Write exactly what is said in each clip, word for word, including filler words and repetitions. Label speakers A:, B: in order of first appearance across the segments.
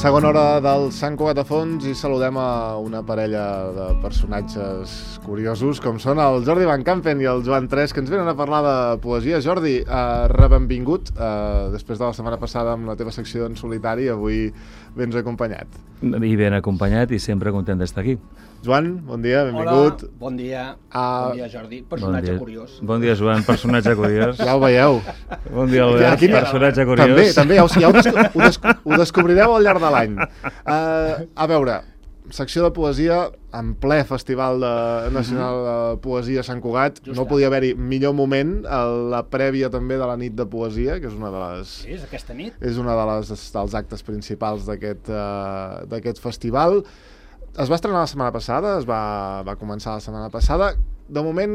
A: Segona hora del Sant Cugat de Fons i saludem a una parella de personatges curiosos com són el Jordi Van Campen i el Joan Tres, que ens venen a parlar de poesia. Jordi, eh, rebenvingut, eh, després de la setmana passada amb la teva secció en solitari, avui vens acompanyat.
B: I ben acompanyat i sempre content d'estar aquí.
A: Joan, bon dia, benvingut.
C: Hola, bon dia,
A: uh,
C: bon dia Jordi, personatge
B: bon dia.
C: curiós.
B: Bon dia Joan, personatge curiós.
A: Ja ho veieu.
B: Bon dia Albert, Aquí, personatge curiós.
A: També, també, ja, ho, ja ho, desco ho, desco ho descobrireu al llarg de l'any. Uh, a veure, secció de poesia en ple Festival de, Nacional de Poesia a Sant Cugat. Just no podia haver-hi millor moment, la prèvia també de la nit de poesia, que és una de les...
C: Sí, és aquesta nit.
A: És una de les, dels actes principals d'aquest uh, d'aquest festival. Es va estrenar la setmana passada, es va, va començar la setmana passada. De moment,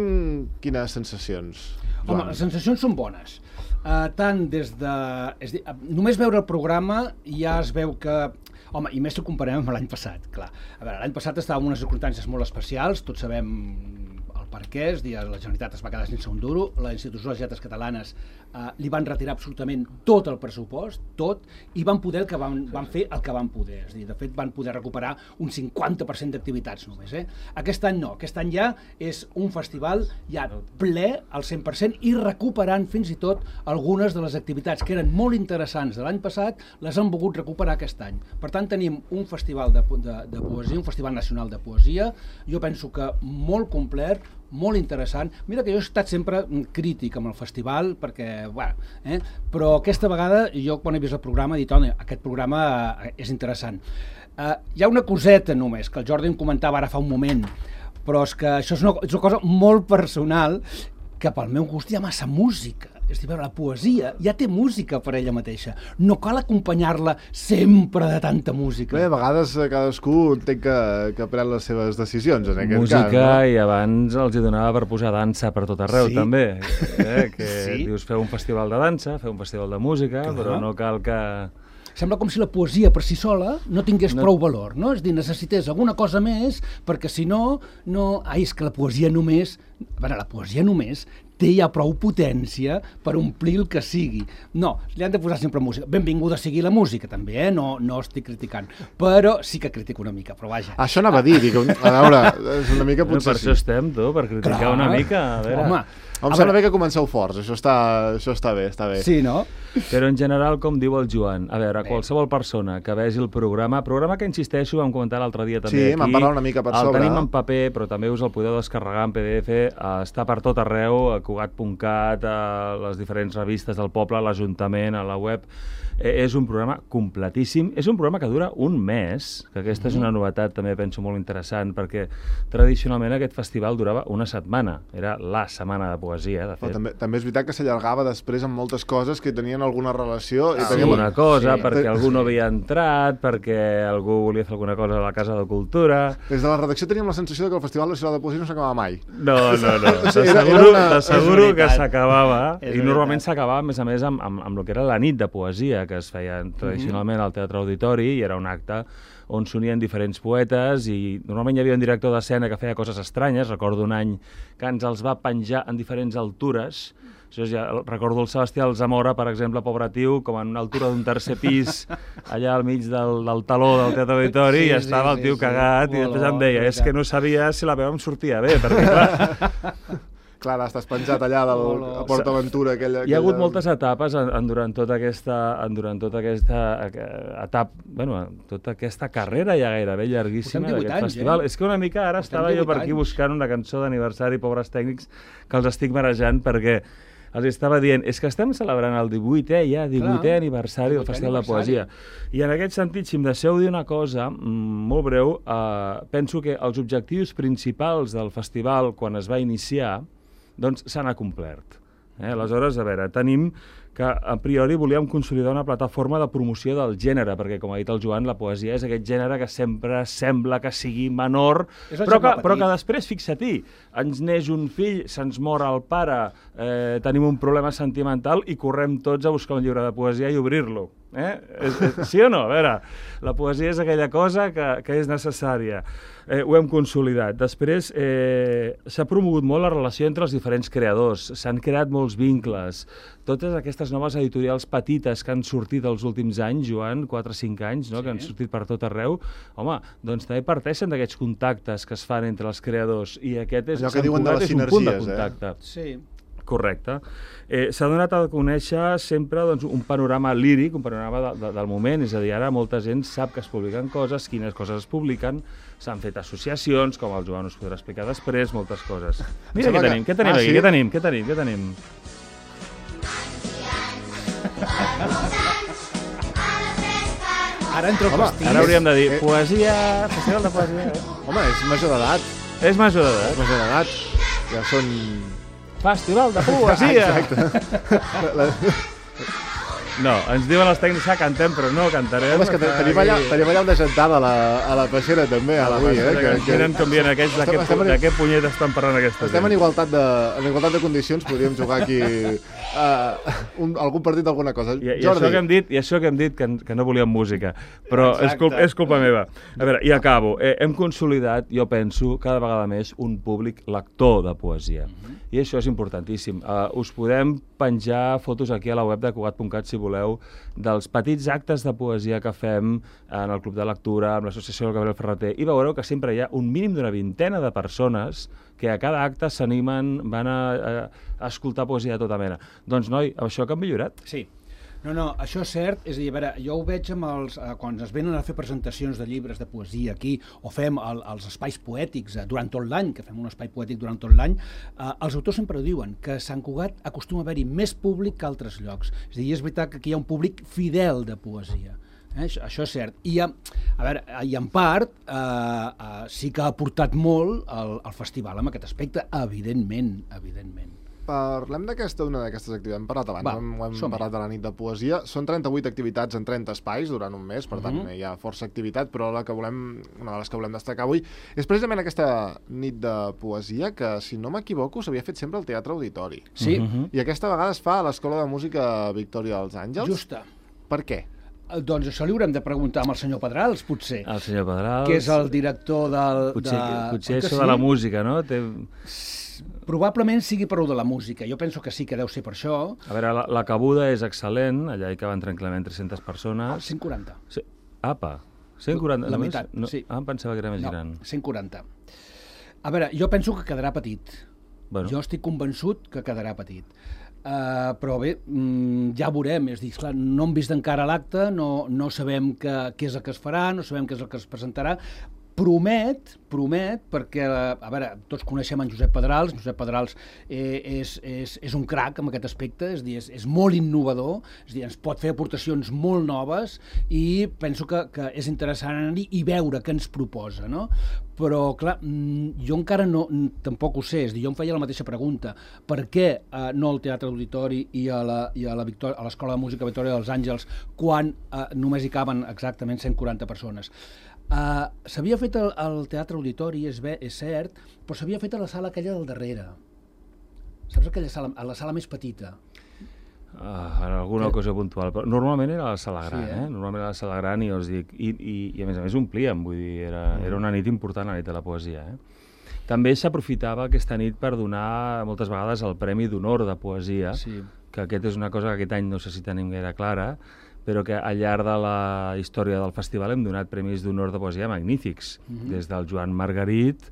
A: quines sensacions?
C: Home, les sensacions són bones. Uh, tant des de... És dir, només veure el programa ja es veu que... Home, i més si ho comparem amb l'any passat, clar. A veure, l'any passat estava en unes circumstàncies molt especials, tots sabem el per què, és dir, la Generalitat es va quedar sense un duro, la Institució de les Lletres Catalanes eh, li van retirar absolutament tot el pressupost, tot, i van poder el que van, van fer el que van poder. És dir, de fet, van poder recuperar un cinquanta per cent d'activitats només. Eh? Aquest any no, aquest any ja és un festival ja ple al cent per cent i recuperant fins i tot algunes de les activitats que eren molt interessants de l'any passat, les han volgut recuperar aquest any. Per tant, tenim un festival de, de, de poesia, un festival nacional de poesia, jo penso que molt complet, molt interessant. Mira que jo he estat sempre crític amb el festival, perquè, bueno, eh? però aquesta vegada jo quan he vist el programa he dit, oh, aquest programa eh, és interessant. Eh, hi ha una coseta només, que el Jordi em comentava ara fa un moment, però és que això és una, és una cosa molt personal, que pel meu gust hi ha massa música. És dir, la poesia ja té música per ella mateixa. No cal acompanyar-la sempre de tanta música.
A: Bé, a vegades cadascú entenc que, que pren les seves decisions, en aquest
B: música,
A: cas. Música,
B: no? I abans els hi donava per posar dansa per tot arreu,
C: sí.
B: també. Eh? Que
C: sí.
B: Dius, feu un festival de dansa, feu un festival de música, clar. Però no cal que...
C: Sembla com si la poesia per si sola no tingués no. prou valor, no? És dir, necessités alguna cosa més, perquè si no, no... Ai, és que la poesia només... A veure, la poesia només té ja prou potència per omplir el que sigui. No, li han de posar sempre música. Benvinguda sigui la música, també, eh? No, no estic criticant. Però sí que critico una mica, però vaja.
A: Això anava a dir, dic, a veure, és una mica potser...
B: No, per això estem, tu, per criticar Clar. una mica. A veure...
C: Home,
A: Em sembla bé que comenceu forts, això està, això està bé, està bé.
C: Sí, no?
B: Però en general, com diu el Joan, a veure, bé. qualsevol persona que vegi el programa, programa que insisteixo, vam comentar l'altre dia també
A: sí,
B: aquí.
A: Sí, m'han parlat una mica per
B: el
A: sobre.
B: El tenim en paper, però també us el podeu descarregar en P D F, uh, està per tot arreu, a cugat punt cat, a les diferents revistes del poble, a l'Ajuntament, a la web. Eh, és un programa completíssim, és un programa que dura un mes, que aquesta mm-hmm. és una novetat també penso molt interessant, perquè tradicionalment aquest festival durava una setmana, era la setmana de poesia, de fet.
A: Però també, també és veritat que s'allargava després amb moltes coses que tenien alguna relació.
B: Ah,
A: i teníem...
B: Alguna cosa, sí. perquè
A: sí.
B: algú no havia entrat, perquè algú volia fer alguna cosa a la Casa de Cultura...
A: Des de la redacció teníem la sensació que el Festival Nacional de Poesia no s'acabava mai.
B: No, no, no,
A: t'asseguro
B: una... que s'acabava, i normalment s'acabava, a més a més, amb, amb, amb el que era la nit de poesia, que es feia tradicionalment al Teatre Auditori, i era un acte on s'unien diferents poetes, i normalment hi havia un director d'escena que feia coses estranyes. Recordo un any que ens els va penjar en diferents altures. Això ja, recordo el Sebastià Alzamora, per exemple, pobre tio, com en una altura d'un tercer pis, allà al mig del, del taló del Teatre Auditori, sí, i estava sí, el tio sí, cagat, sí. i després em deia, és que no sabia si la veu em sortia bé, perquè clar...
A: Clar, estàs penjat allà del, a Port Aventura. Aquella, aquella...
B: Hi ha hagut moltes etapes en, en, durant tota aquesta, en, durant tota aquesta etapa, bueno, tota aquesta carrera ja gairebé llarguíssima d'aquest
C: anys,
B: festival.
C: Eh?
B: És que una mica ara Portem estava jo per aquí buscant una cançó d'aniversari, pobres tècnics, que els estic marejant perquè els estava dient, és que estem celebrant el divuitè ja, divuitè aniversari del Festival de Poesia. I en aquest sentit, si em deixeu dir una cosa molt breu, eh, penso que els objectius principals del festival quan es va iniciar doncs s'han acomplert. Eh? Aleshores, a veure, tenim que a priori volíem consolidar una plataforma de promoció del gènere, perquè, com ha dit el Joan, la poesia és aquest gènere que sempre sembla que sigui menor, però que, però que després, fixa-t'hi, ens neix un fill, se'ns mor el pare, eh, tenim un problema sentimental i correm tots a buscar un llibre de poesia i obrir-lo. Eh? Sí o no? A veure, la poesia és aquella cosa que, que és necessària. Eh, ho hem consolidat. Després, eh, s'ha promogut molt la relació entre els diferents creadors. S'han creat molts vincles. Totes aquestes noves editorials petites que han sortit els últims anys, Joan, quatre o cinc anys, no? Sí. Que han sortit per tot arreu, home, doncs també parteixen d'aquests contactes que es fan entre els creadors. I aquest és,
A: allò que diuen de les
B: és un punt de
A: sinergies,
B: contacte.
C: Eh? Sí.
B: Correcte. Eh, S'ha donat a conèixer sempre doncs, un panorama líric, un panorama de, de, del moment, és a dir, ara molta gent sap que es publiquen coses, quines coses es publiquen, s'han fet associacions, com el Joan us podrà explicar després, moltes coses. Mira què tenim, què tenim
A: ah,
B: aquí,
A: sí?
B: què tenim, què tenim, què tenim?
C: Ara entro al pastís.
B: Ara hauríem de dir,
A: Eh.
B: poesia, festival de poesia. Eh?
A: Home, és major d'edat.
B: És major d'edat.
A: És major d'edat. Ja són...
B: Festival de poesia!
A: Exacte. La...
B: No, ens diuen els tècnics que cantem, però no cantarem.
A: Home, és que tenim allà, tenim allà una gentada a la, a la peixera també,
B: a la
A: avui,
B: peixera,
A: eh?
B: que, que... Miren com vienen aquells, de,
A: Estem-
B: què,
A: estem en-
B: de què punyet estan parlant aquesta
A: Estem en
B: gent.
A: igualtat de, en igualtat de condicions, podríem jugar aquí uh, un, algun partit, alguna cosa.
B: I, i,
A: Jordi,
B: això que hem dit, I això que hem dit, que, que no volíem música, però és,
C: Exacte.
B: culpa, és culpa meva. A veure, i acabo. Eh, hem consolidat, jo penso, cada vegada més, un públic lector de poesia. Mm-hmm. I això és importantíssim. Uh, us podem penjar fotos aquí a la web de Cugat punt cat, si voleu, dels petits actes de poesia que fem en el Club de Lectura, amb l'Associació del Gabriel Ferreter, i veureu que sempre hi ha un mínim d'una vintena de persones que a cada acte s'animen, van a, a, a escoltar poesia de tota mena. Doncs, noi, això que han millorat.
C: Sí. No, no, això és cert. És a dir, a veure, jo ho veig amb els... Eh, quan es venen a fer presentacions de llibres de poesia aquí, o fem el, els espais poètics eh, durant tot l'any, que fem un espai poètic durant tot l'any, eh, els autors sempre diuen que a Sant Cugat acostuma a haver-hi més públic que altres llocs. És a dir, és veritat que aquí hi ha un públic fidel de poesia. Eh? Això, això és cert. I, a, a veure, i en part eh, eh, sí que ha aportat molt el, el festival en aquest aspecte, evidentment, evidentment.
A: parlem d'aquesta, una d'aquestes activitats. Hem parlat abans,
C: Va,
A: hem, hem
C: som-hi.
A: parlat de la nit de poesia. Són trenta-vuit activitats en trenta espais durant un mes, per tant,
C: Mhm.
A: hi ha força activitat, però la que volem, una de les que volem destacar avui és precisament aquesta nit de poesia que, si no m'equivoco, s'havia fet sempre al Teatre Auditori.
C: Sí,
B: Mhm.
A: I aquesta vegada es fa a l'Escola de Música Victòria dels Àngels.
C: justa.
A: Per què?
C: Eh, Doncs això li haurem de preguntar amb el senyor Pedrals, potser,
B: El senyor Pedrals...
C: que és el director del...
B: Potser,
C: de...
B: potser
C: Oi que
B: això
C: sí?
B: de la música, no? Té...
C: Probablement sigui per de la música. Jo penso que sí que deu ser per això.
B: A veure, la, la cabuda és excel·lent, allà hi caben tranquil·lament tres-centes persones.
C: cent quaranta.
B: Sí. Apa, cent quaranta?
C: La
B: només?
C: meitat,
B: no,
C: sí.
B: Ah, em pensava que era més
C: No,
B: gran.
C: cent quaranta. A veure, jo penso que quedarà petit.
B: Bueno,
C: Jo estic convençut que quedarà petit. Uh, però bé, mm, ja veurem. És dir, clar, no hem vist encara l'acte, no, no sabem que, què és el que es farà, no sabem què és el que es presentarà. Promet, promet, perquè, a veure, tots coneixem en Josep Pedrals, Josep Pedrals eh, és, és, és un crac en aquest aspecte, és, dir, és, és molt innovador, és dir, ens pot fer aportacions molt noves i penso que, que és interessant anar-hi i veure què ens proposa, no? Però, clar, mm, jo encara no, tampoc ho sé, és dir, jo em feia la mateixa pregunta, per què eh, no al Teatre Auditori i a la, i a la Victòria, a l'Escola de Música Victòria dels Àngels, quan eh, només hi caben exactament cent quaranta persones? Uh, s'havia fet al, al Teatre Auditori, és, bé, és cert, però s'havia fet a la sala aquella del darrere. Saps aquella sala, a la sala més petita?
B: ah, en alguna cosa puntual. Però normalment era a la sala gran,
C: Sí,
B: eh?
C: eh?
B: Normalment era a la sala gran i us dic... I, i, i a més a més omplíem, vull dir, era, era una nit important, la nit de la poesia, eh? També s'aprofitava aquesta nit per donar moltes vegades el Premi d'Honor de Poesia,
C: Sí.
B: que aquest és una cosa que aquest any no sé si tenim gaire clara, però que al llarg de la història del festival hem donat premis d'honor de poesia magnífics,
C: Mhm.
B: des del Joan Margarit,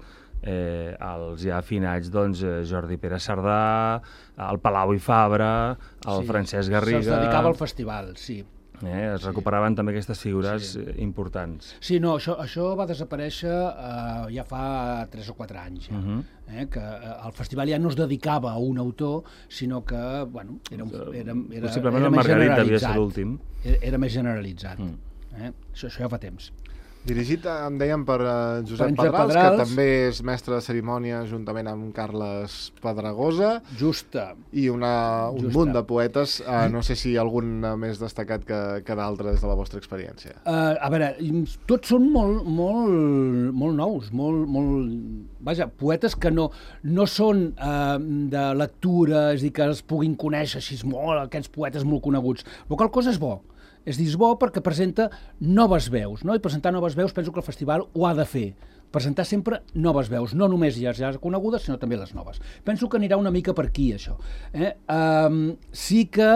B: eh, als ja afinats doncs, eh, Jordi Pere Cerdà, el Palau i Fabra, el
C: Sí.
B: Francesc Garriga...
C: Se'ls dedicava al festival, sí.
B: Eh, es
C: Sí.
B: recuperaven també aquestes figures
C: Sí.
B: eh, importants.
C: Sí, no, això, això va desaparèixer eh, ja fa tres o quatre anys, ja.
B: Mhm.
C: eh, que eh, el festival ja no es dedicava a un autor, sinó que, bueno, era, un, era, era,
B: Possiblement
C: era
B: el
C: més
B: Margarit devia ser
C: generalitzat.
B: l'últim.
C: Era, era més generalitzat.
B: Mm.
C: Eh? Això, això ja fa temps.
A: Dirigit, em dèiem, per uh, Josep,
C: Per en Josep
A: Pedrals,
C: Pedrals.
A: que també és mestre de cerimònia juntament amb Carles Pedregosa,
C: Justa.
A: i una, un
C: Justa.
A: munt de poetes. Uh, no sé si algun uh, més destacat que, que d'altres de la vostra experiència.
C: Uh, a veure, tots són molt, molt, molt nous, molt, molt... Vaja, poetes que no, no són uh, de lectura, és a dir, que es puguin conèixer així molt, aquests poetes molt coneguts. La qual cosa és bo. És dir, és bo perquè presenta noves veus, no? I presentar noves veus penso que el festival ho ha de fer. Presentar sempre noves veus, no només ja ja conegudes, sinó també les noves. Penso que anirà una mica per aquí, això. Eh? Um, sí que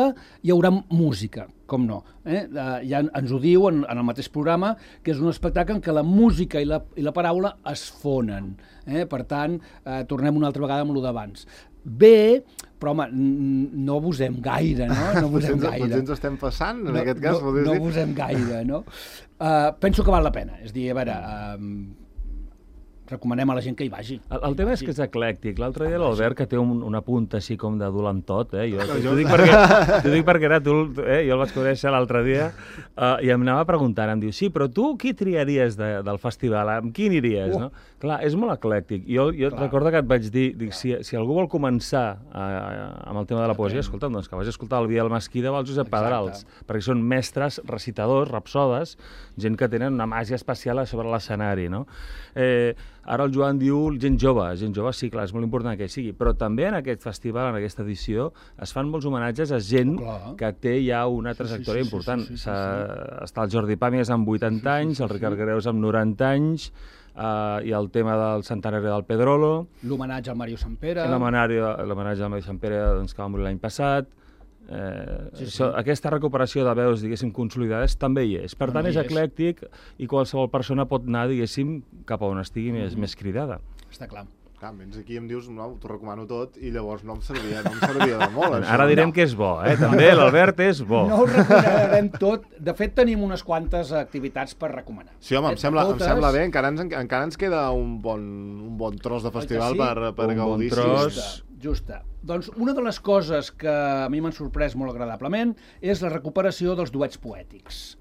C: hi haurà música, com no. Eh? Uh, ja ens ho diu en, en el mateix programa, que és un espectacle en què la música i la, i la paraula es fonen. Eh? Per tant, uh, tornem una altra vegada amb el d'abans. Bé, però home, no abusem gaire, no? No abusem gaire.
A: Potser ens estem passant, en
C: no,
A: aquest cas.
C: No, no abusem gaire, no? Uh, penso que val la pena. És dir, a veure... Uh, recomanem a la gent que hi vagi.
B: El, el tema és que és eclèctic. L'altre dia l'Albert, que té un, una punta així com de dolentot, eh? Jo t'ho dic perquè, t'ho dic perquè era tu, eh? Jo el vaig conèixer l'altre dia, uh, i em anava preguntant, em diu, sí, però tu qui triaries de, del festival? Amb qui aniries, uh. no? Clar, és molt eclèctic. Jo, jo recordo que et vaig dir, dic, si, si algú vol començar a, a, amb el tema de la poesia, escolta'm, doncs que vagi a escoltar el Biel Mesquida o el Josep Pedrals, perquè són mestres, recitadors, rapsodes, gent que tenen una màgia especial sobre l'escenari, no? Eh, ara el Joan diu gent jove, gent jove sí, clar, és molt important que hi sigui, però també en aquest festival, en aquesta edició, es fan molts homenatges a gent oh, que té ja una trajectòria sí, sí, sí, important. Sí, sí, sí, sí. Està el Jordi Pàmies amb vuitanta sí, sí, anys, el Ricard sí. Greus amb noranta anys, uh, i el tema del centenari del Pedrolo.
C: L'homenatge al Mario Sampere.
B: L'homenatge al Mario Sampere, doncs, que va morir l'any passat. Eh, sí, sí. So, aquesta recuperació de veus, diguéssim, consolidades també hi és. Per no, tant, no és eclèctic i qualsevol persona pot anar, diguéssim, cap a on estigui mm-hmm. més, més cridada.
C: Està clar.
A: Clar, vens aquí i em dius, no, t'ho recomano tot, i llavors no em servia, no em servia de molt. Això.
B: Ara direm no. que és bo, eh? També l'Albert és bo.
C: No ho recomanarem tot. De fet, tenim unes quantes activitats per recomanar.
A: Sí, home, em sembla, Totes... em sembla bé. Encara ens, encara ens queda un bon, un bon tros de festival sí? per, per
B: un
A: gaudir.
B: Un bon tros...
C: Justa, justa. Doncs una de les coses que a mi m'han sorprès molt agradablement és la recuperació dels duets poètics.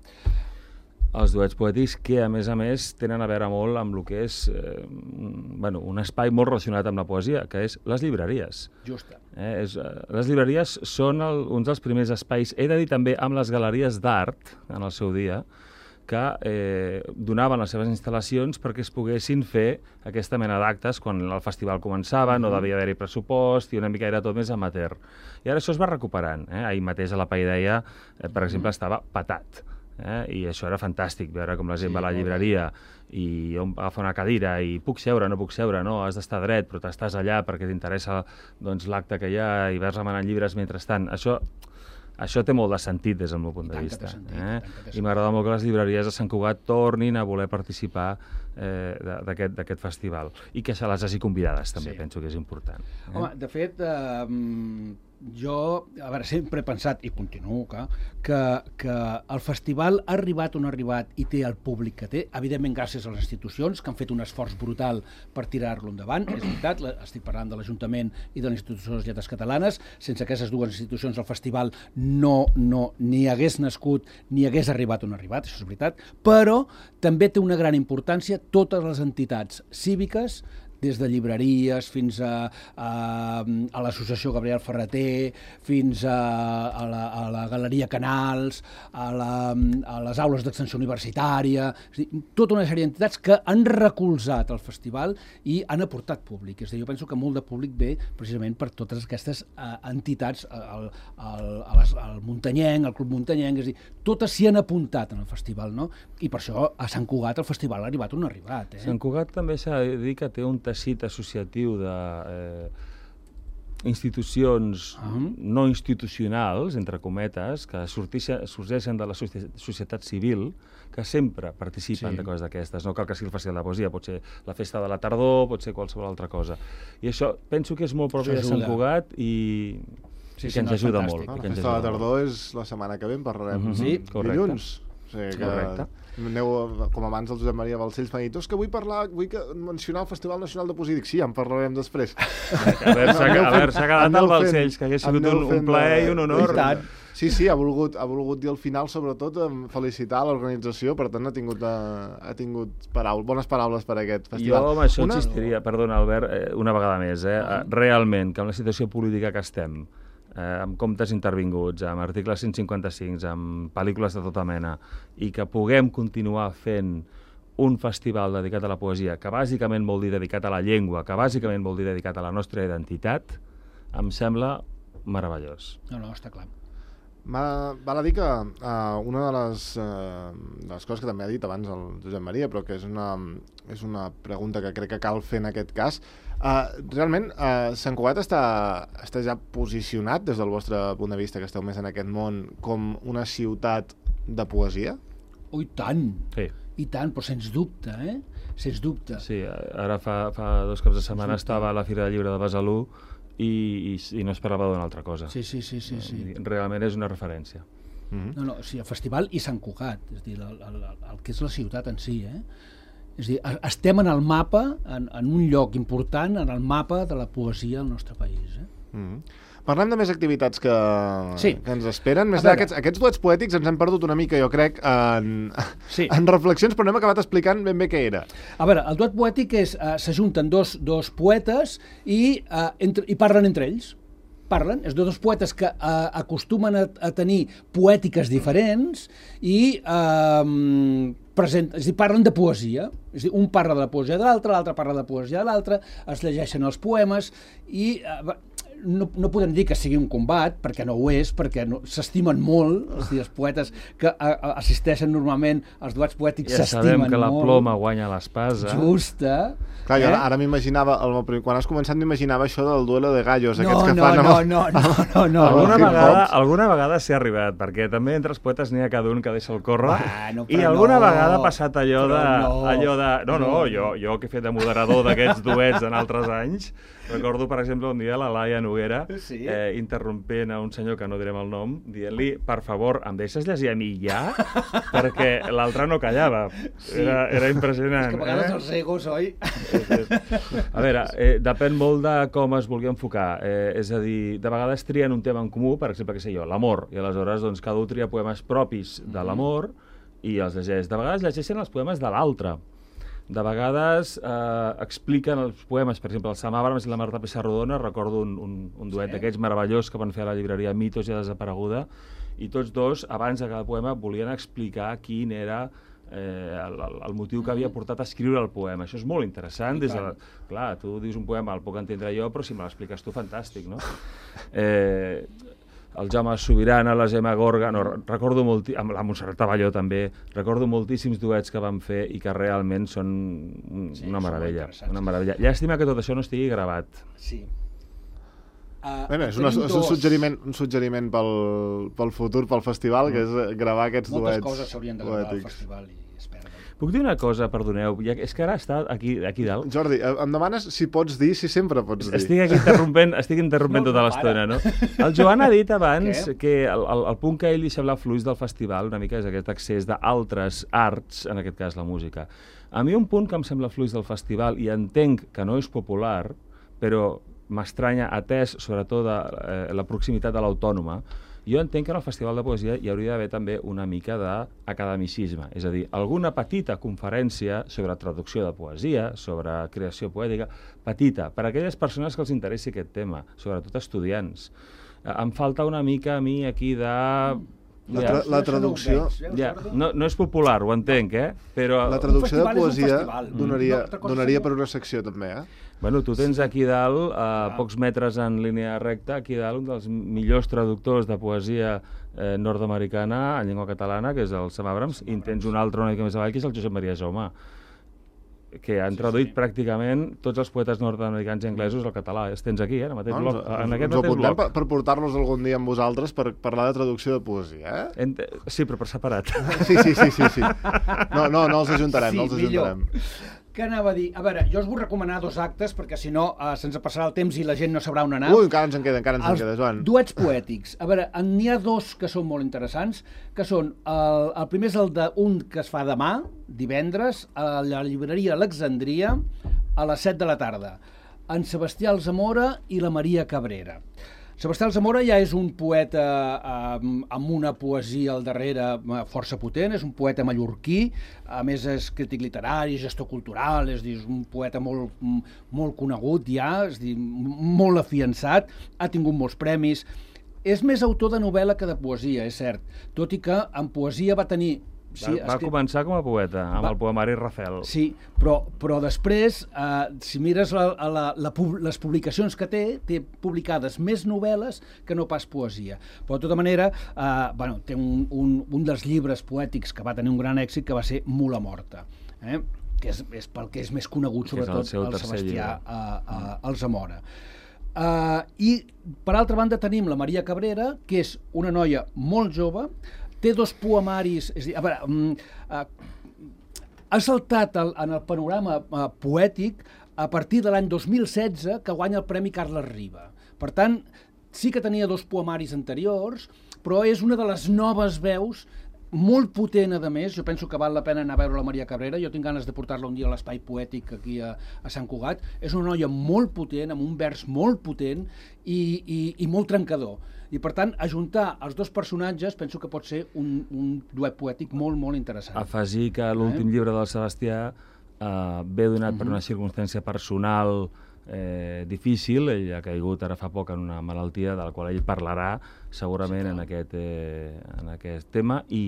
B: Els duets poètics que, a més a més, tenen a veure molt amb el que és eh, bueno, un espai molt relacionat amb la poesia, que és les llibreries.
C: Justa.
B: Eh, és, eh, les llibreries són el, uns dels primers espais, he de dir també amb les galeries d'art, en el seu dia, que eh, donaven les seves instal·lacions perquè es poguessin fer aquesta mena d'actes quan el festival començava, no devia haver-hi pressupost i una mica era tot més amateur. I ara això es va recuperant. Eh? Ahir mateix a la Paideia, eh, per exemple, estava patat. Eh? I això era fantàstic, veure com la gent sí, va a la llibreria i agafa una cadira i puc seure, no puc seure, no, has d'estar dret, però t'estàs allà perquè t'interessa doncs, l'acte que hi ha i vas remenant llibres mentrestant. Això, això té molt de sentit des del meu punt de vista.
C: Sentit,
B: eh? I m'agrada molt que les llibreries de Sant Cugat tornin a voler participar eh, d'aquest festival i que se les hagi convidades també, sí. Penso que és important. Eh?
C: Home, de fet, eh, jo, a veure, sempre he pensat, i continuo, que, que, que el festival ha arribat on ha arribat i té el públic que té, evidentment gràcies a les institucions, que han fet un esforç brutal per tirar-lo endavant, és veritat, estic parlant de l'Ajuntament i de l'Institució de les Lletres Catalanes, sense aquestes dues institucions el festival no, no ni hagués nascut ni hagués arribat on ha arribat, això és veritat, però també té una gran importància totes les entitats cíviques, des de llibreries fins a, a, a l'associació Gabriel Ferreter, fins a, a, la, a la Galeria Canals, a, la, a les aules d'extensió universitària, és a dir, tota una sèrie d'entitats que han recolzat el festival i han aportat públic. És a dir, jo penso que molt de públic ve precisament per totes aquestes uh, entitats, el, el, el, el Muntanyenc, el Club Muntanyenc, és a dir, totes s'hi han apuntat en el festival, no? I per això a Sant Cugat el festival ha arribat on ha arribat. Eh?
B: Sant Cugat també s'ha de dir que té un teixit associatiu de eh, institucions uh-huh. no institucionals, entre cometes, que sorgeixen de la societat civil, que sempre participen sí. de coses d'aquestes. No cal que sigui el Festival de Poesia, pot ser la Festa de la Tardor, pot ser qualsevol altra cosa. I això penso que és molt propi de Sant Cugat i, sí, i que sí, ens no, ajuda molt.
A: No, la
B: Festa
A: de la Tardor molt. És la setmana que ve, en parlarem.
B: Uh-huh. Sí, correcte.
A: Dilluns. O sigui que correcte. Aneu, com abans el Josep Maria Balcells m'ha dit, és que vull parlar, vull que mencionar el Festival Nacional de Poesia. Dic, sí, ja en parlarem després.
B: A veure, s'ha quedat el Balcells, que hagués sigut un, un plaer i un honor.
A: Sí, sí, ha volgut, ha volgut dir al final, sobretot, felicitar l'organització, per tant ha tingut, ha tingut paraules, bones paraules per aquest festival.
B: Jo amb això una... insistiria, perdona Albert, una vegada més, eh? Realment, que amb la situació política que estem, Eh, amb comptes intervinguts, amb articles cent cinquanta-cinc, amb pel·lícules de tota mena, i que puguem continuar fent un festival dedicat a la poesia, que bàsicament vol dir dedicat a la llengua, que bàsicament vol dir dedicat a la nostra identitat, em sembla meravellós.
C: No, no, està clar.
A: Val a dir que uh, una de les, uh, de les coses que també ha dit abans el Josep Maria, però que és una, és una pregunta que crec que cal fer en aquest cas, uh, realment uh, Sant Cugat està, està ja posicionat des del vostre punt de vista, que esteu més en aquest món, com una ciutat de poesia?
C: Oh, i tant!
B: Sí.
C: I tant, però sens dubte, eh? Sens dubte.
B: Sí, ara fa, fa dos caps de setmana estava a la Fira del Llibre de Besalú i, i, i no es parlava d'una altra cosa.
C: Sí, sí, sí, sí, sí.
B: Realment és una referència.
C: Mm-hmm. No, no, o sigui, el festival i Sant Cugat, és a dir, el, el, el que és la ciutat en si, eh? És a dir, estem en el mapa, en, en un lloc important, en el mapa de la poesia al nostre país, eh?
A: Mm-hmm. Parlem de més activitats que,
C: sí.
A: que ens esperen. Més aquests, aquests duets poètics ens hem perdut una mica, jo crec, en, sí. en reflexions, però no hem acabat explicant ben bé què era.
C: A veure, el duet poètic és, uh, s'ajunten dos, dos poetes i, uh, entre, i parlen entre ells. Parlen, és de dos poetes que uh, acostumen a, a tenir poètiques diferents i uh, present, és a dir, parlen de poesia. És a dir, un parla de la poesia de l'altre, l'altre parla de la poesia de l'altre, es llegeixen els poemes i... Uh, No, no podem dir que sigui un combat, perquè no ho és, perquè no, s'estimen molt, és a dir, els poetes que a, a, assisteixen normalment als duets poètics
B: ja
C: s'estimen molt.
B: Ja sabem que la ploma guanya l'espasa.
C: Justa.
A: Clar,
C: eh?
A: jo ara, ara m'imaginava, quan has començat m'imaginava això del duelo de gallos,
C: no,
A: aquests que
C: no,
A: fan...
C: No, amb... no, no, no, no.
B: Alguna vegada, alguna vegada s'hi ha arribat, perquè també entre els poetes n'hi ha cada un que deixa el córrer,
C: bueno,
B: i alguna
C: no,
B: vegada ha passat allò de...
C: No,
B: allò de no, no, jo, jo que he fet de moderador d'aquests duets en altres anys, recordo, per exemple, un dia la Laia Noguera
C: sí.
B: eh, interrompent a un senyor que no direm el nom, dient-li, per favor, em deixes llegir a mi ja? Perquè l'altre no callava.
C: Sí.
B: Era, era impressionant.
C: És que a vegades
B: eh?
C: els egos, oi?
B: A veure, eh, depèn molt de com es vulgui enfocar. Eh, és a dir, de vegades trien un tema en comú, per exemple, què sé jo, l'amor, i aleshores doncs, cada un tria poemes propis de l'amor i els llegeix. De vegades llegeixen els poemes de l'altre. De vegades eh, expliquen els poemes, per exemple, el Sam Abrams i la Marta Pissarrodona, recordo un, un, un duet sí. d'aquests meravellós que van fer a la llibreria Mitos ja desapareguda, i tots dos, abans de cada poema, volien explicar quin era eh, el, el motiu que havia portat a escriure el poema. Això és molt interessant. Des de la... Clar, tu dius un poema, el puc entendre jo, però si me l'expliques tu, fantàstic, no? Eh... el Jaume Sobirana, la Gemma Gorga, no, recordo molt, amb la Montserrat Abelló també, recordo moltíssims duets que van fer i que realment són un, sí, una meravella. Una meravella. Llàstima que tot això no estigui gravat.
C: Sí. Uh,
A: bueno, és, una, és un suggeriment, un suggeriment pel, pel futur, pel festival, mm. que és gravar aquests
C: Moltes
A: duets.
C: Moltes coses s'haurien de gravar al festival i es perden.
B: Puc dir una cosa, perdoneu, ja, és que ara està aquí, aquí dalt.
A: Jordi, em demanes si pots dir, si sempre pots dir.
B: Estic aquí interrompent, estic interrompent no, tota l'estona, no? El Joan ha dit abans
C: Què?
B: que el, el, el punt que ell deixa hablar fluix del festival una mica és aquest accés d'altres arts, en aquest cas la música. A mi un punt que em sembla fluix del festival, i entenc que no és popular, però m'estranya atès sobretot de, eh, la proximitat de l'Autònoma, jo entenc que en el Festival de Poesia hi hauria d'haver també una mica d'academicisme, és a dir, alguna petita conferència sobre traducció de poesia, sobre creació poètica, petita, per a aquelles persones que els interessi aquest tema, sobretot estudiants. Eh, em falta una mica a mi aquí de...
A: La, tra la traducció...
B: Ja, no, no és popular, ho entenc, eh? Però...
A: La traducció de poesia donaria, donaria per una secció també, eh?
B: Bueno, tu tens aquí dalt, a pocs metres en línia recta, aquí dalt un dels millors traductors de poesia eh, nord-americana en llengua catalana, que és el Sam Abrams, i tens un altre una mica més avall, que és el Josep Maria Jaume, que han traduït sí, sí. pràcticament tots els poetes nord-americans i anglesos al català. Els tens aquí, eh, en, mateix
A: no,
B: bloc, en aquest
A: ens
B: mateix bloc.
A: Per, per portar-los algun dia amb vosaltres per parlar de traducció de poesia, eh?
B: Ent sí, però per separat.
A: Sí, sí, sí, sí, sí. No, no, no els ajuntarem,
C: sí,
A: no els ajuntarem.
C: Millor. Què anava a dir? A veure, jo us vull recomanar dos actes, perquè si no uh, se'ns passarà el temps i la gent no sabrà on anar.
A: Ui, encara ens en queda, encara ens en queda, Joan.
C: Duets poètics. A veure, n'hi ha dos que són molt interessants, que són, el, el primer és el d'un que es fa demà, divendres, a la llibreria Alexandria, a les set de la tarda, en Sebastià Alzamora i la Maria Cabrera. Sebastià Alzamora ja és un poeta eh, amb una poesia al darrere força potent, és un poeta mallorquí, a més és crític literari, gestor cultural, és, dir, és un poeta molt, molt conegut ja, és dir, molt afiançat, ha tingut molts premis. És més autor de novel·la que de poesia, és cert, tot i que en poesia va tenir
B: Sí, va, va escrit... començar com a poeta, amb va... el poemari Rafel.
C: Sí, però, però després, eh, si mires la, la, la, les publicacions que té, té publicades més novel·les que no pas poesia. Però, de tota manera, eh, bueno, té un, un, un dels llibres poètics que va tenir un gran èxit, que va ser Mula Morta, eh? que és, és pel que és més conegut, sobretot, el, el Sebastià a, a, Alsamora. Uh, I, per altra banda, tenim la Maria Cabrera, que és una noia molt jove, té dos poemaris... És a dir, a veure, um, uh, ha saltat el, en el panorama uh, poètic a partir de l'any dos mil setze, que guanya el Premi Carles Riba. Per tant, sí que tenia dos poemaris anteriors, però és una de les noves veus, molt potent, a més. Jo penso que val la pena anar a veure la Maria Cabrera. Jo tinc ganes de portar-la un dia a l'Espai Poètic aquí a, a Sant Cugat. És una noia molt potent, amb un vers molt potent i, i, i molt trencador. I, per tant, ajuntar els dos personatges penso que pot ser un, un duet poètic molt, molt interessant.
B: Afegir que l'últim eh? llibre del Sebastià eh, ve donat uh-huh. per una circumstància personal eh, difícil. Ell ha caigut ara fa poc en una malaltia de la qual ell parlarà segurament sí, en, aquest, eh, en aquest tema, i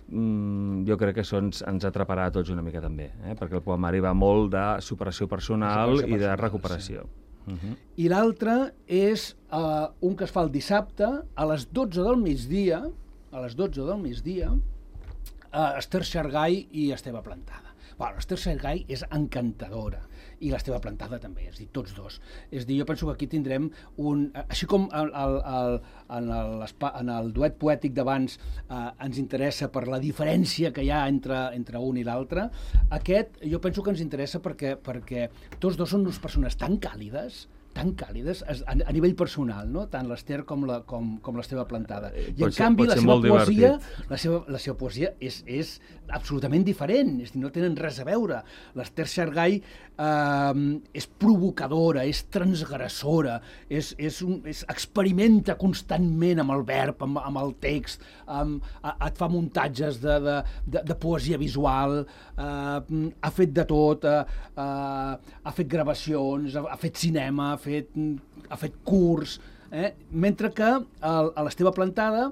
B: mm, jo crec que això ens, ens atraparà a tots una mica també, eh? perquè el poemari va molt de superació personal, superació personal i de recuperació. Sí. Uh-huh.
C: I l'altre és uh, un que es fa el dissabte a les dotze del migdia, a les dotze del migdia, uh, Esther Xargay i Esteve Plantada. Bueno, l'Esther Xargay és encantadora i l'Esteve Plantada també, és a dir, tots dos. És a dir, jo penso que aquí tindrem un... Així com el, el, el, en, el, en el duet poètic d'abans eh, ens interessa per la diferència que hi ha entre, entre un i l'altre, aquest jo penso que ens interessa perquè, perquè tots dos són unes persones tan càlides, tan càlides a, a nivell personal, no? Tant l'Esther com la com, com l'Esteve Plantada. I pot en ser, canvi la seva poesia, la seva, la seva poesia és, és absolutament diferent, és dir, no tenen res a veure. L'Esther Xargay eh, és provocadora, és transgressora, és, és un, és, experimenta constantment amb el verb, amb, amb el text, amb, a, et fa muntatges de, de, de, de poesia visual, eh, ha fet de tot, eh, eh, ha fet gravacions, ha, ha fet cinema, ha fet, ha fet curs, eh? Mentre que l'Esteve Plantada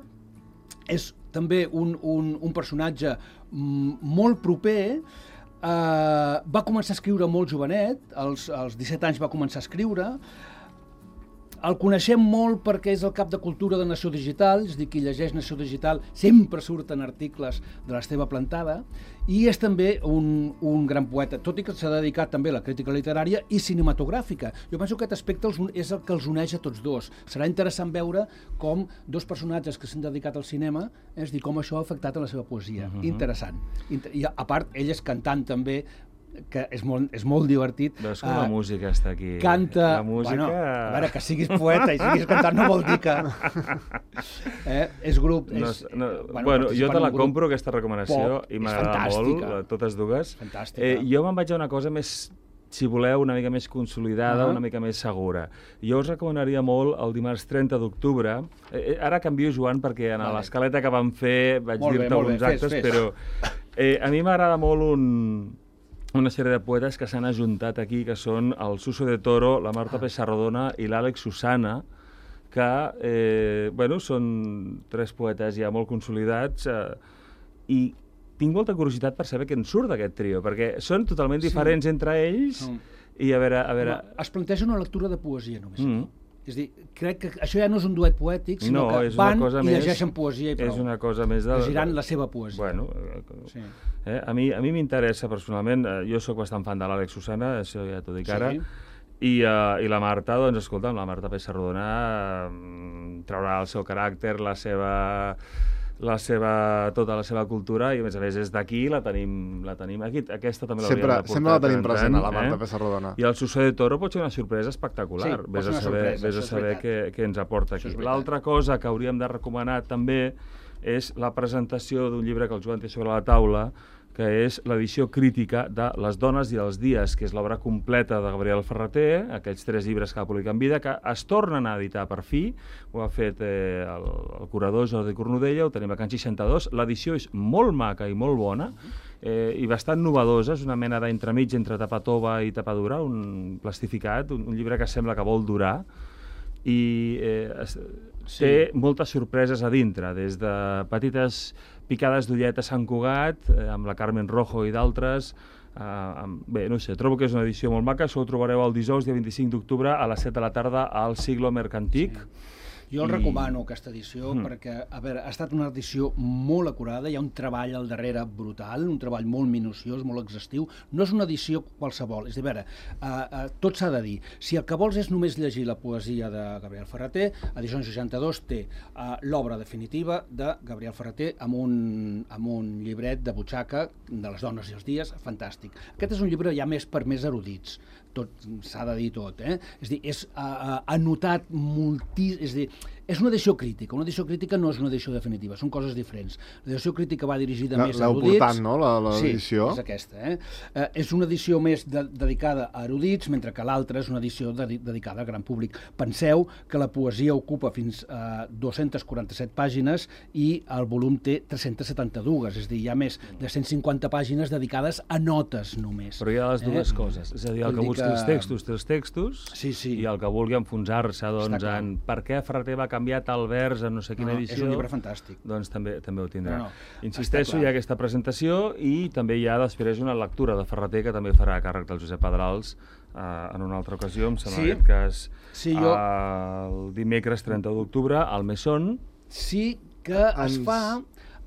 C: és també un, un, un personatge molt proper, eh, va començar a escriure molt jovenet, als, als disset anys va començar a escriure, el coneixem molt perquè és el cap de cultura de Nació Digital, és a dir, qui llegeix Nació Digital sempre surten articles de l'Esteve Plantada, i és també un, un gran poeta, tot i que s'ha dedicat també a la crítica literària i cinematogràfica. Jo penso que aquest aspecte els, és el que els uneix a tots dos. Serà interessant veure com dos personatges que s'han dedicat al cinema, és a dir, com això ha afectat a la seva poesia. Uh-huh. Interessant. I a part, ell és cantant també, que és molt, és molt divertit.
B: Veus com uh, la música està aquí.
C: Canta...
B: La música...
C: Bueno, a veure, que siguis poeta i siguis cantant no vol dir que... eh? És grup... És,
B: no, no, bueno, bueno jo te la compro, aquesta recomanació, pop, i m'agrada molt, totes dues.
C: Fantàstica.
B: Eh, jo me'n vaig a una cosa més, si voleu, una mica més consolidada, uh-huh. una mica més segura. Jo us recomanaria molt el dimarts trenta d'octubre. Eh, ara canvio, Joan, perquè en vale. l'escaleta que vam fer vaig dir-te alguns bé, actes, fes, fes. però eh, a mi m'agrada molt un... una sèrie de poetes que s'han ajuntat aquí, que són el Suso de Toro, la Marta Pessarrodona i l'Àlex Susana, que eh, bueno, són tres poetes ja molt consolidats, eh, i tinc molta curiositat per saber què en surt d'aquest trio, perquè són totalment diferents sí. entre ells, mm. i a veure... A veure...
C: Home, es planteja una lectura de poesia, només. Mm. És a dir, crec que això ja no és un duet poètic, sinó no, que van i més, llegeixen poesia i prou.
B: És una cosa més de...
C: Llegiran la seva poesia.
B: Bueno, sí. eh, a mi a mi m'interessa personalment, eh, jo sóc bastant fan de l'Àlex Susana, això ja t'ho dic ara, sí. i, uh, i la Marta, doncs escolta'm, la Marta Pessarrodona uh, traurà el seu caràcter, la seva... la seva, tota la seva cultura, i a més a més és d'aquí, la tenim, la tenim aquí, aquesta també l'hauríem de portar.
A: Sempre la tenim present, a la Marta eh? Pessarrodona.
B: I el Suso de Toro pot ser una sorpresa espectacular, sí, vés a saber, sorpresa, vés a saber què, què ens aporta aquí. L'altra cosa que hauríem de recomanar també és la presentació d'un llibre que el Joan té sobre la taula, que és l'edició crítica de Les dones i els dies, que és l'obra completa de Gabriel Ferrater, aquells tres llibres que va publicar en vida, que es tornen a editar per fi, ho ha fet eh, el, el curador Jordi Cornudella, ho tenim a Can seixanta-dos, l'edició és molt maca i molt bona, eh, i bastant novedosa, és una mena d'entremig entre tapa tova i tapa dura, un plastificat, un, un llibre que sembla que vol durar, i eh, sí. té moltes sorpreses a dintre, des de petites picades d'ullet a Sant Cugat, eh, amb la Carmen Rojo i d'altres. Uh, bé, no sé, trobo que és una edició molt maca. Això ho trobareu el dijous, dia vint-i-cinc d'octubre, a les set de la tarda, al Siglo Mercantic.
C: Sí. Jo el I... recomano, aquesta edició, mm. perquè, a veure, ha estat una edició molt acurada, hi ha un treball al darrere brutal, un treball molt minuciós, molt exhaustiu. No és una edició qualsevol, és a dir, a veure, uh, uh, tot s'ha de dir. Si el que vols és només llegir la poesia de Gabriel Ferrater, Edicions seixanta-dos té uh, l'obra definitiva de Gabriel Ferrater amb un, amb un llibret de butxaca de les dones i els dies, fantàstic. Aquest és un llibre ja més per més erudits, tot s'ha de dir tot, eh? És a dir, és uh, anotat moltíssim, és a dir, és una edició crítica. Una edició crítica no és una edició definitiva, són coses diferents. L'edició crítica va dirigida
A: la,
C: més a erudits.
A: L'heu portant, no, l'edició?
C: Sí, és aquesta. Eh? Eh, és una edició més de, dedicada a erudits, mentre que l'altra és una edició de, dedicada al gran públic. Penseu que la poesia ocupa fins a dues-centes quaranta-set pàgines i el volum té tres-centes setanta-dues, és a dir, hi ha més de cent cinquanta pàgines dedicades a notes només.
B: Però hi ha les dues eh? coses, és a dir, el que busqui que... els textos té els textos,
C: sí, sí.
B: i el que vulgui enfonsar-se doncs, en per què Ferrater va canviar tal vers en no sé quina
C: no,
B: edició...
C: És un llibre fantàstic.
B: Doncs també, també ho tindrà.
C: No, no,
B: Insisteixo, hi ha aquesta presentació i també hi ha després una lectura de Ferrater que també farà càrrec del Josep Pedrals eh, en una altra ocasió, em sembla sí? en aquest cas
C: sí, jo...
B: eh, el dimecres trenta d'octubre al Mesón.
C: Sí que es fa...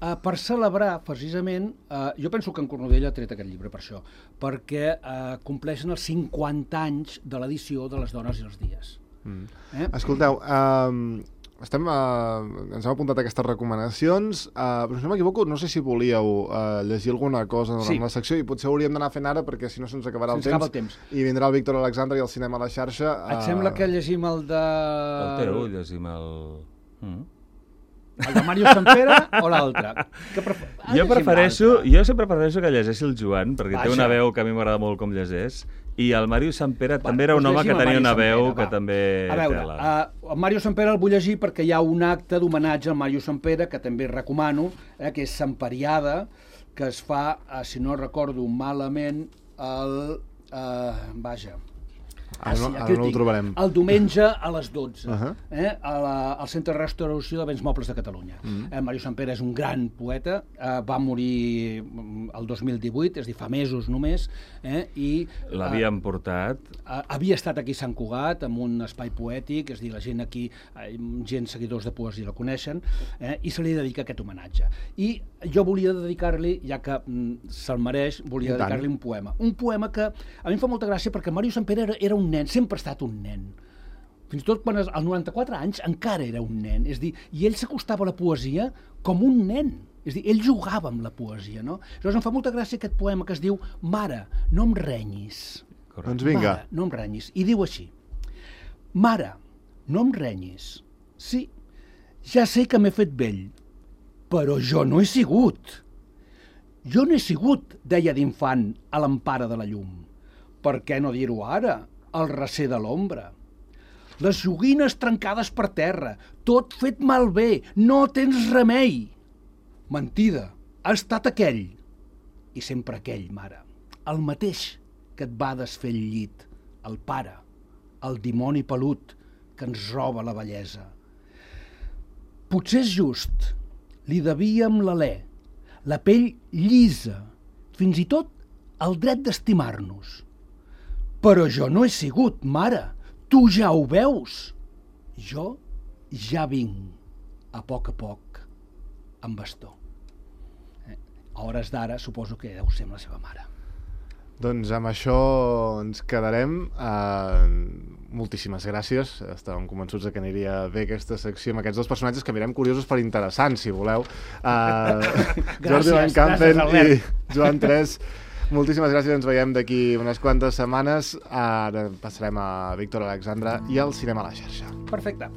C: Uh, per celebrar, precisament, uh, jo penso que en Cornudella ha tret aquest llibre per això, perquè uh, compleixen els cinquanta anys de l'edició de Les dones i els dies.
A: Mm. Eh? Escolteu, uh, estem, uh, ens hem apuntat aquestes recomanacions, uh, però si no m'equivoco, no sé si volíeu uh, llegir alguna cosa durant sí. la secció, i potser hauríem d'anar fent ara, perquè si no se'ns acabarà el,
C: se
A: temps,
C: el temps,
A: i vindrà el Víctor Alexandre i el cinema a la xarxa.
C: Uh... Et sembla que llegim el de...
B: El teu, llegim el... Mm.
C: El de Màrius Sampere o l'altre? Prefer... Ah,
B: jo prefereixo, jo sempre prefereixo que llegeixi el Joan, perquè
C: Vaja.
B: té una veu que a mi m'agrada molt com llegeix, i el Màrius Sampere Va, també era un home que tenia una veu Sampere, que va. també...
C: A veure, uh, el Màrius Sampere el vull llegir perquè hi ha un acte d'homenatge al Màrius Sampere, que també recomano, eh, que és Samperiada, que es fa, uh, si no recordo malament, el... Uh, vaja...
A: Ah, no, ara no ho trobarem.
C: El diumenge a les dotze, uh -huh. eh, a la, al Centre de Restauració de Béns Mobles de Catalunya. Uh -huh. eh, Màrius Sampere és un gran poeta, eh, va morir el dos mil divuit, és a dir, fa mesos només, eh, i...
B: L'havien eh, portat...
C: Eh, havia estat aquí a Sant Cugat, amb un espai poètic, és a dir, la gent aquí, eh, gent seguidors de poesia la coneixen, eh, i se li dedica aquest homenatge. I jo volia dedicar-li, ja que mm, se'l mereix, volia dedicar-li un poema. Un poema que a mi em fa molta gràcia perquè Màrius Sampere era, era un nen, sempre ha estat un nen. Fins i tot quan als noranta-quatre anys encara era un nen. És dir, i ell s'acostava a la poesia com un nen. És dir, ell jugava amb la poesia, no? Llavors em fa molta gràcia aquest poema que es diu Mare, no em renyis.
A: Correcte. Doncs vinga.
C: Mare, no em renyis. I diu així. Mare, no em renyis. Sí, ja sé que m'he fet vell, però jo no he sigut. Jo no he sigut, deia d'infant, a l'empara de la llum. Per què no dir-ho ara, al recer de l'ombra? Les joguines trencades per terra, tot fet malbé, no tens remei. Mentida, ha estat aquell, i sempre aquell, mare, el mateix que et va desfer el llit, el pare, el dimoni pelut que ens roba la bellesa. Potser és just, li devíem l'alè, la pell llisa, fins i tot el dret d'estimar-nos. Però jo no he sigut, mare, tu ja ho veus. Jo ja vinc, a poc a poc, amb bastó. Eh? A hores d'ara suposo que deu ser amb la seva mare.
A: Doncs amb això ens quedarem. Uh, moltíssimes gràcies. Estàvem convençuts que aniria bé aquesta secció amb aquests dos personatges que mirem curiosos per interessants, si voleu. Uh, Jordi Van Campen i Joan Tres. Moltíssimes gràcies, ens veiem d'aquí unes quantes setmanes. Ara passarem a Víctor Alexandre i al cinema a la xarxa.
C: Perfecte.